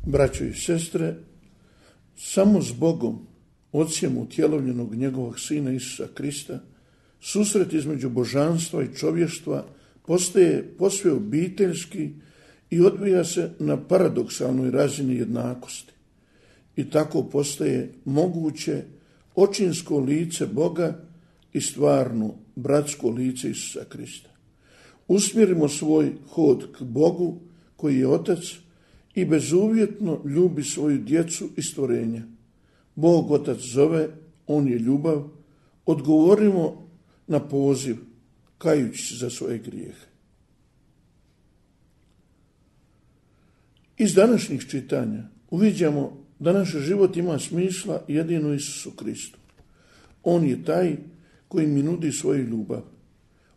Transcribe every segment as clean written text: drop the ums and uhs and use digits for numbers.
Braćo i sestre, samo s Bogom, Ocem utjelovljenog njegovog Sina Isusa Krista, susret između božanstva i čovještva postaje posve obiteljski i odvija se na paradoksalnoj razini jednakosti. I tako postaje moguće očinsko lice Boga i stvarno bratsko lice Isusa Krista. Usmjerimo svoj hod k Bogu koji je Otac i bezuvjetno ljubi svoju djecu i stvorenja. Bog Otac zove, On je ljubav, odgovorimo na poziv, kajući se za svoje grijehe. Iz današnjih čitanja uviđamo da naš život ima smisla jedino Isusu Kristu. On je taj koji mi nudi svoju ljubav.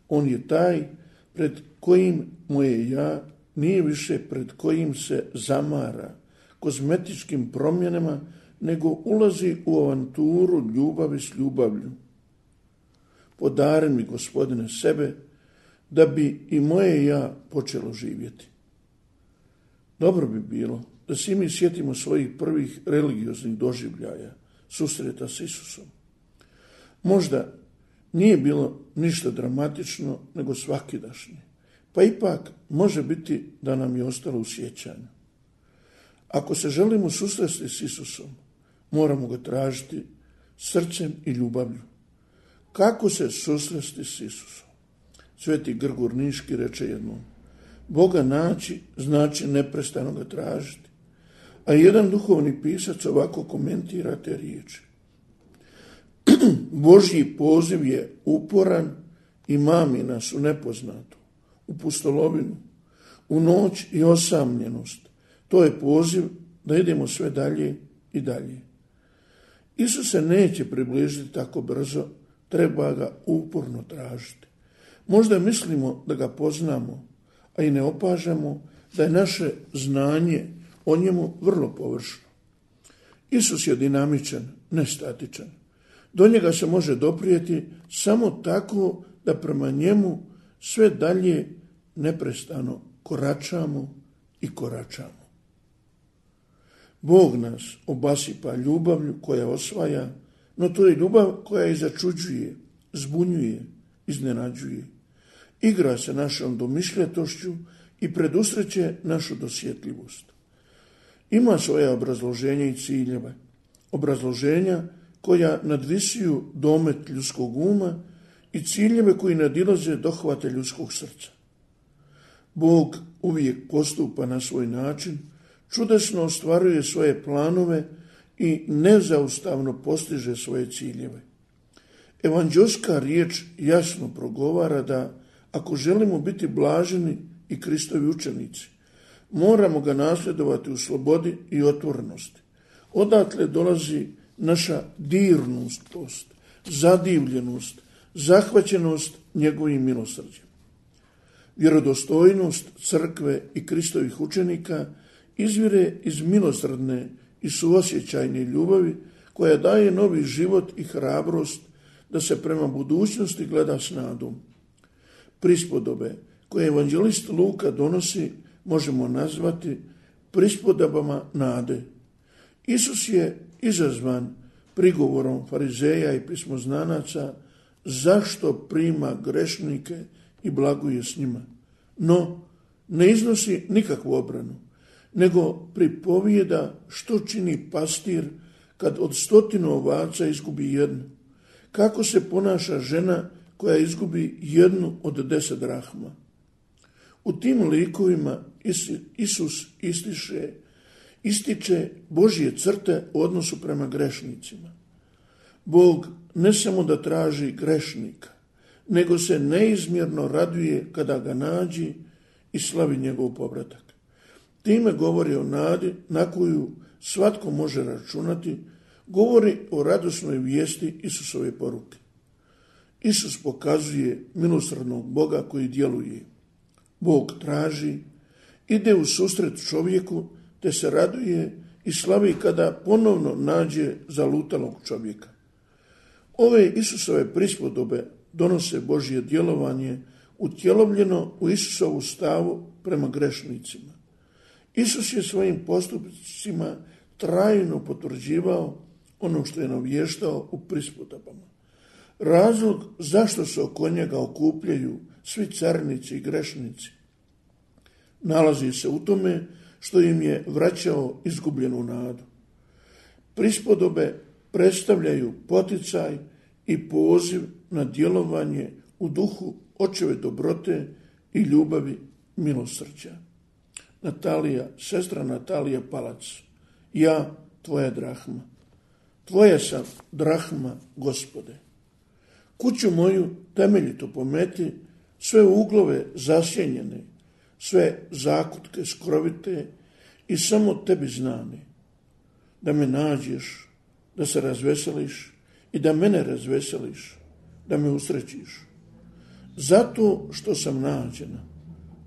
On je taj pred kojim moje ja nije više pred kojim se zamara kozmetičkim promjenama, nego ulazi u avanturu ljubavi s ljubavlju. Podari mi, Gospodine, sebe, da bi i moje ja počelo živjeti. Dobro bi bilo da svi mi sjetimo svojih prvih religioznih doživljaja, susreta s Isusom. Možda nije bilo ništa dramatično, nego svakidašnje, pa ipak može biti da nam je ostalo u sjećanju. Ako se želimo susresti s Isusom, moramo ga tražiti srcem i ljubavlju. Kako se susresti s Isusom? Sveti Grgur Niški reče jednom: Boga naći znači neprestano ga tražiti. A jedan duhovni pisac ovako komentira te riječi: Božji poziv je uporan i mami nas u nepoznato, u pustolovinu, u noć i osamljenost. To je poziv da idemo sve dalje i dalje. Isus se neće približiti tako brzo, treba ga uporno tražiti. Možda mislimo da ga poznamo, a i ne opažamo da je naše znanje o njemu vrlo površno. Isus je dinamičan, ne statičan. Do njega se može doprijeti samo tako da prema njemu sve dalje neprestano koračamo i koračamo. Bog nas obasipa ljubavlju koja osvaja, no to je ljubav koja i začuđuje, zbunjuje, iznenađuje. Igra se našom domišljatošću i predusreće našu dosjetljivost. Ima svoje obrazloženja i ciljeve, obrazloženja koja nadvisuju domet ljudskog uma i ciljeve koji nadilaze dohvate ljudskog srca. Bog uvijek postupa na svoj način, čudesno ostvaruje svoje planove i nezaustavno postiže svoje ciljeve. Evanđelska riječ jasno progovara da ako želimo biti blaženi i Kristovi učenici, moramo ga nasljedovati u slobodi i otvorenosti. Odatle dolazi naša dirnustost, zadivljenost, zahvaćenost njegovim milosrđem. Vjerodostojnost crkve i Kristovih učenika izvire iz milosrdne i suosjećajne ljubavi koja daje novi život i hrabrost da se prema budućnosti gleda s nadom. Prispodobe koje evanđelist Luka donosi možemo nazvati prispodobama nade. Isus je izazvan prigovorom farizeja i pismoznanaca zašto prima grešnike i blaguje s njima. No, ne iznosi nikakvu obranu, nego pripovijeda što čini pastir kad od 100 ovaca izgubi jednu. Kako se ponaša žena koja izgubi jednu od 10 drahma. U tim likovima Isus ističe Božje crte u odnosu prema grešnicima. Bog ne samo da traži grešnika, nego se neizmjerno raduje kada ga nađi i slavi njegov povratak. Time govori o nadi na koju svatko može računati, govori o radosnoj vijesti Isusove poruke. Isus pokazuje milosrdnog Boga koji djeluje. Bog traži, ide u susret čovjeku, te se raduje i slavi kada ponovno nađe zalutalog čovjeka. Ove Isusove prispodobe donose Božje djelovanje utjelovljeno u Isusovu stavu prema grešnicima. Isus je svojim postupcima trajno potvrđivao ono što je navještao u prispodobama. Razlog zašto se oko njega okupljaju svi carinici i grešnici nalazi se u tome što im je vraćao izgubljenu nadu. Prispodobe predstavljaju poticaj i poziv na djelovanje u duhu očeve dobrote i ljubavi milosrđa. Sestra Natalija Palac, ja, tvoja drahma. Tvoja sam drahma, Gospode. Kuću moju temeljito pometi, sve uglove zasjenjene, sve zakutke skrovite i samo tebi znane. Da me nađeš, da se razveseliš i da mene razveseliš, da me usrećiš. Zato što sam nađena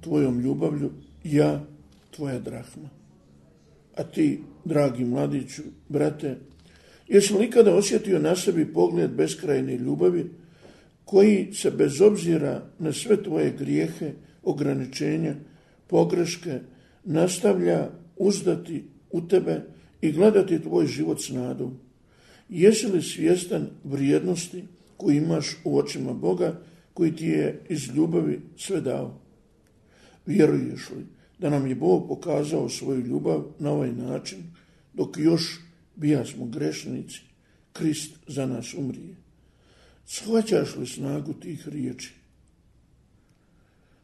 tvojom ljubavlju, ja, tvoja drahma. A ti, dragi mladiću, brate, jesi li ikada osjetio na sebi pogled beskrajne ljubavi, koji se bez obzira na sve tvoje grijehe, ograničenja, pogreške, nastavlja uzdati u tebe i gledati tvoj život s nadom? Jesi li svjestan vrijednosti koju imaš u očima Boga, koji ti je iz ljubavi sve dao? Vjeruješ li da nam je Bog pokazao svoju ljubav na ovaj način, dok još bijasmo grešnici, Krist za nas umrije? Shvaćaš li snagu tih riječi?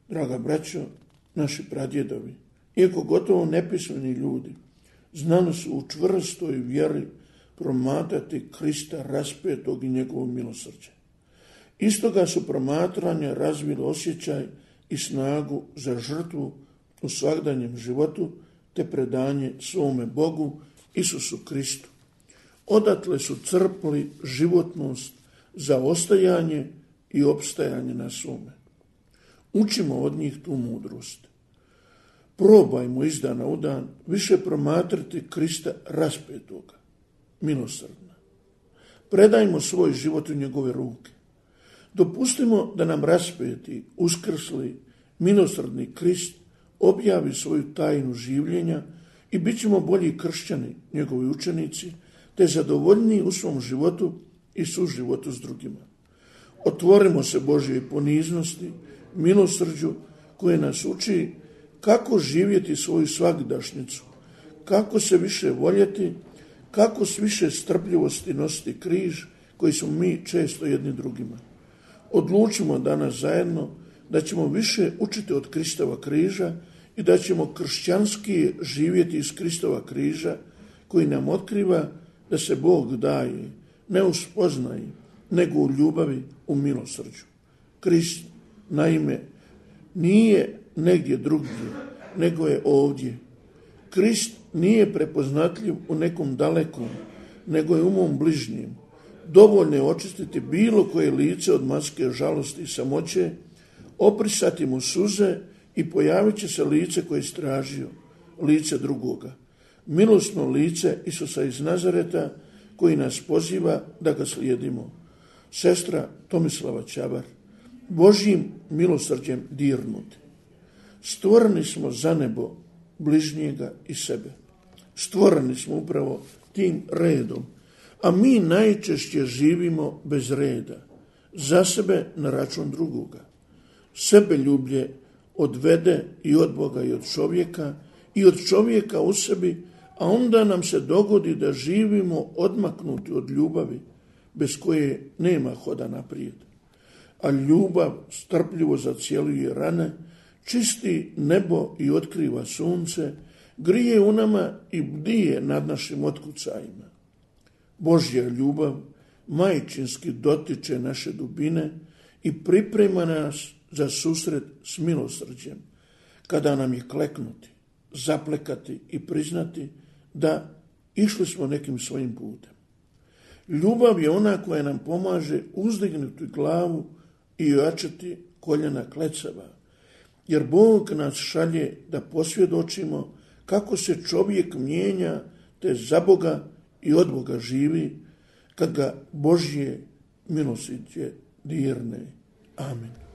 Draga braćo, naši pradjedovi, iako gotovo nepismeni ljudi, znali su u čvrstoj vjeri promatrati Krista raspetog i njegovo milosrđe. Istoga su promatranja razvili osjećaj i snagu za žrtvu u svakdanjem životu te predanje svome Bogu, Isusu Kristu. Odatle su crpli životnost za ostajanje i opstajanje na svome. Učimo od njih tu mudrost. Probajmo iz dana u dan više promatrati Krista raspetoga, milosrdna. Predajmo svoj život u njegove ruke. Dopustimo da nam raspeti, uskrsli, milosrdni Krist objavi svoju tajnu življenja i bit ćemo bolji kršćani, njegovi učenici, te zadovoljniji u svom životu i suživotu s drugima. Otvorimo se Božjoj poniznosti, milosrđu koje nas uči kako živjeti svoju svagdašnicu, kako se više voljeti, kako s više strpljivosti nositi križ koji smo mi često jedni drugima. Odlučimo danas zajedno da ćemo više učiti od Kristova križa i da ćemo kršćanski živjeti iz Kristova križa koji nam otkriva da se Bog daje, ne u spoznaji, nego u ljubavi, u milosrđu. Krist, naime, nije negdje drugdje, nego je ovdje. Krist nije prepoznatljiv u nekom dalekom, nego je u mom bližnjem. Dovoljno je očistiti bilo koje lice od maske žalosti i samoće, oprisati mu suze i pojavit će se lice koje je stražio, lice drugoga. Milosno lice Isusa iz Nazareta koji nas poziva da ga slijedimo. Sestra Tomislava Čabar, Božjim milosrđem dirnuti. Stvoreni smo za nebo, bližnjega i sebe. Stvoreni smo upravo tim redom, a mi najčešće živimo bez reda, za sebe na račun drugoga. Sebeljublje odvede i od Boga i od čovjeka i od čovjeka u sebi, a onda nam se dogodi da živimo odmaknuti od ljubavi, bez koje nema hoda naprijed. A ljubav strpljivo zacjeluje rane, čisti nebo i otkriva sunce, grije u nama i bdije nad našim otkucajima. Božja ljubav majčinski dotiče naše dubine i priprema nas za susret s milosrđem, kada nam je kleknuti, zaplekati i priznati da išli smo nekim svojim putem. Ljubav je ona koja nam pomaže uzdignuti glavu i ojačati koljena klecava, jer Bog nas šalje da posvjedočimo kako se čovjek mijenja, te za Boga i od Boga živi, kad ga Božje milosrđe dirne. Amen.